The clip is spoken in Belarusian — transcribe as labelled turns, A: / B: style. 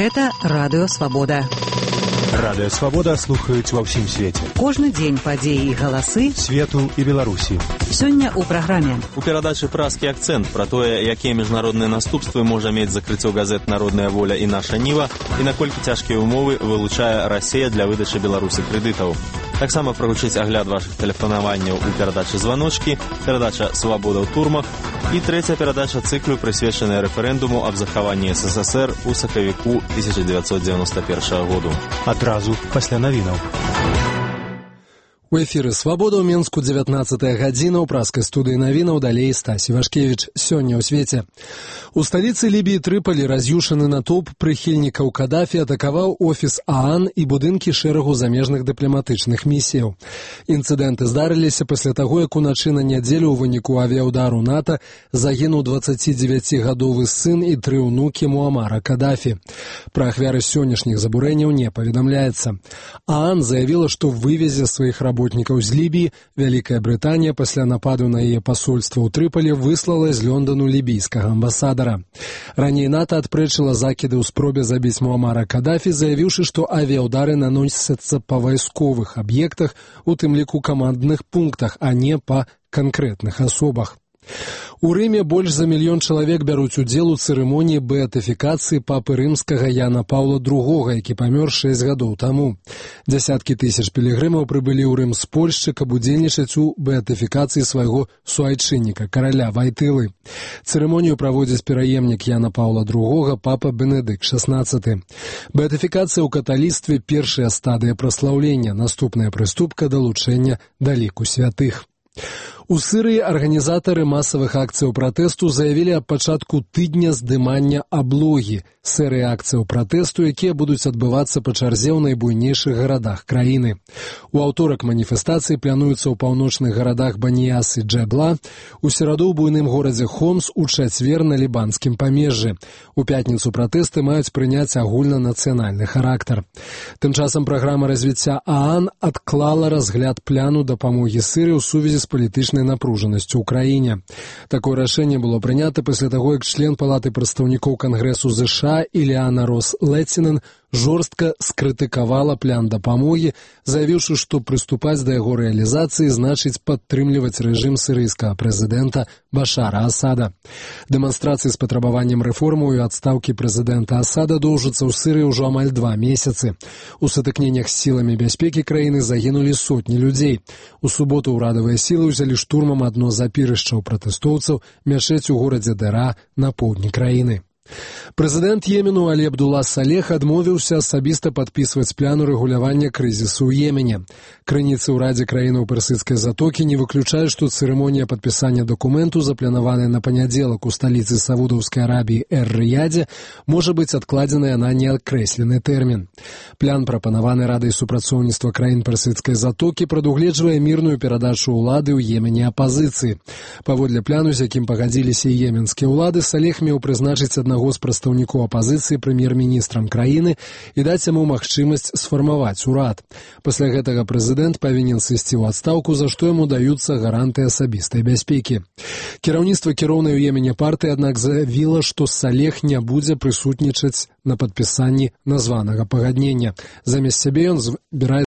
A: Гэта Радыё Свабода.
B: Радыё Свабода слухаюць ва ўсім свеце.
A: Кожны дзень падзеі і галасы
B: свету і Беларусі.
A: Сёння ў праграме.
C: У перадачы «Празкі акцэнт» пра тое, якія міжнародныя наступствы можа мець закрыццё газет «Народная воля» і «Наша Ніва» і наколькі цяжкія ўмовы вылучае Расія для выдачы Беларусі крэдытаў. Таксама прагучыць агляд вашых тэлефанаванняў у перадачы «Званочкі», перадача «Свабода ў турмах» і трэця перадача цыклу, прысвечаная рэферэндуму аб захаванні СССР у сакавіку 1991 году.
B: Адразу пасля навінаў.
D: У эфіры «Свабода» ў Менску 19-я гадзіна, ў празкай студыі навінаў, далей Стась Івашкевіч. Сёння ў свеце. У сталіцы Лібіі Трыполі раз'юшаны натоўп прыхільнікаў Кадафі атакаваў офіс ААН і будынкі шэрагу замежных дыпламатычных місіяў. Інцыдэнты здарыліся пасля таго, як уначы на нядзелю ў выніку авіяўдару НАТО загінуў 29-гадовы сын і 3 ўнукі Муамара Кадафі. Пра ахвяры сённяшніх забурэнняў не паведамляецца. ААН заявіла, што вывезе сваіх работнікаў з Лібіі. Вялікая Брытанія пасля нападу на яе пасольства ў Трыполі выслала з Лёндану лібійскага амбасадара. Раней НАТО адпрэчыла закіды ў спробе забіць Муамара Кадафі, заявіўшы, што авіяўдары наносяцца па вайсковых аб'ектах, у тым ліку камандных пунктах, а не па канкрэтных асобах. У Рыме больш за 1 мільён чалавек бяруць удзел у цырымоніі беатыфікацыі папы рымскага Яна Паўла II, які памёр 6 гадоў таму. Дзясяткі тысяч пілігрымаў прыбылі ў Рым з Польшчы, каб удзельнічаць у беатыфікацыі свайго суайчынніка, караля Вайтылы. Цырымонію праводзіць пераемнік Яна Паўла II, папа Бенедыкт XVI. Беатыфікацыя ў каталіцтве – першая стадыя праслаўлення, наступная прыступка – далучэння да ліку святых. У Сірыі арганізатары масавых акцыяў пратэсту заявілі аб пачатку тыдня здымання аблогі, серыі акцыяў пратэсту, якія будуць адбывацца па чарзе ў найбуйнейшых гарадах краіны. У аўторак маніфестацыі плануюцца ў паўночных гарадах Баніяс і Джэбла, у сераду ў буйным горадзе Хомс, у чацвер на лібанскім памежжы. У пятніцу пратэсты маюць прыняць агульнанацыянальны характар. Тым часам праграма развіцця ААН адклала разгляд пляну дапамогі Сірыі ў сувязі з палітычнай напружанасцю ў краіне. Такое рашэнне было прынята пасля таго, як член Палаты прадстаўнікоў Кангрэсу ЗША Іліана Рос-Лецінен жорстка скрытыкавала план дапамогі, заявіўшы, што прыступаць да яго рэалізацыі значыць падтрымліваць рэжым сірыйскага прэзідэнта Башара Асада. Дэманстрацыі з патрабаваннем рэформаў і адстаўкі прэзідэнта Асада доўжацца ў Сірыі ўжо амаль 2 месяцы. У сутыкненнях з сіламі бяспекі краіны загінулі сотні людзей. У суботу ўрадавыя сілы ўзялі штурмам адно з апірышчаў пратэстоўцаў, мячэць у горадзе Дэра на поўдні краіны. Прэзідэнт Йемену Алі Абдулла Салех адмовіўся асабіста падпісваць план урэгулявання крызісу ў Йемене. Крыніцы ў Радзе краінаў Персідскай затокі не выключаюць, што цырымонія падпісання дакументу, запланаваная на панядзелак у сталіцы Саудаўскай Арабіі Эр-Рыядзе, можа быць адкладзеная на неакрэслены тэрмін. План, прапанаваны Радай супрацоўніцтва краін Персідскай затокі, прадугледжвае мірную перадачу ўлады ў Йемене апазіцыі. Паводле пляну, з якім пагадзіліся йеменскія ўлады, Салех меў прызначыць аднаго з прадстаўнікоў апазіцыі прэм'ер-міністрам краіны і даць яму магчымасць сфармаваць урад. Пасля гэтага прэзідэнт павінен сысці ў адстаўку, за што яму даюцца гаранты асабістай бяспекі. Кіраўніцтва кіроўнай у Йемене партыі, аднак, заявіла, што Салех не будзе прысутнічаць на падпісанні названага пагаднення. Замест сябе ён збіраецца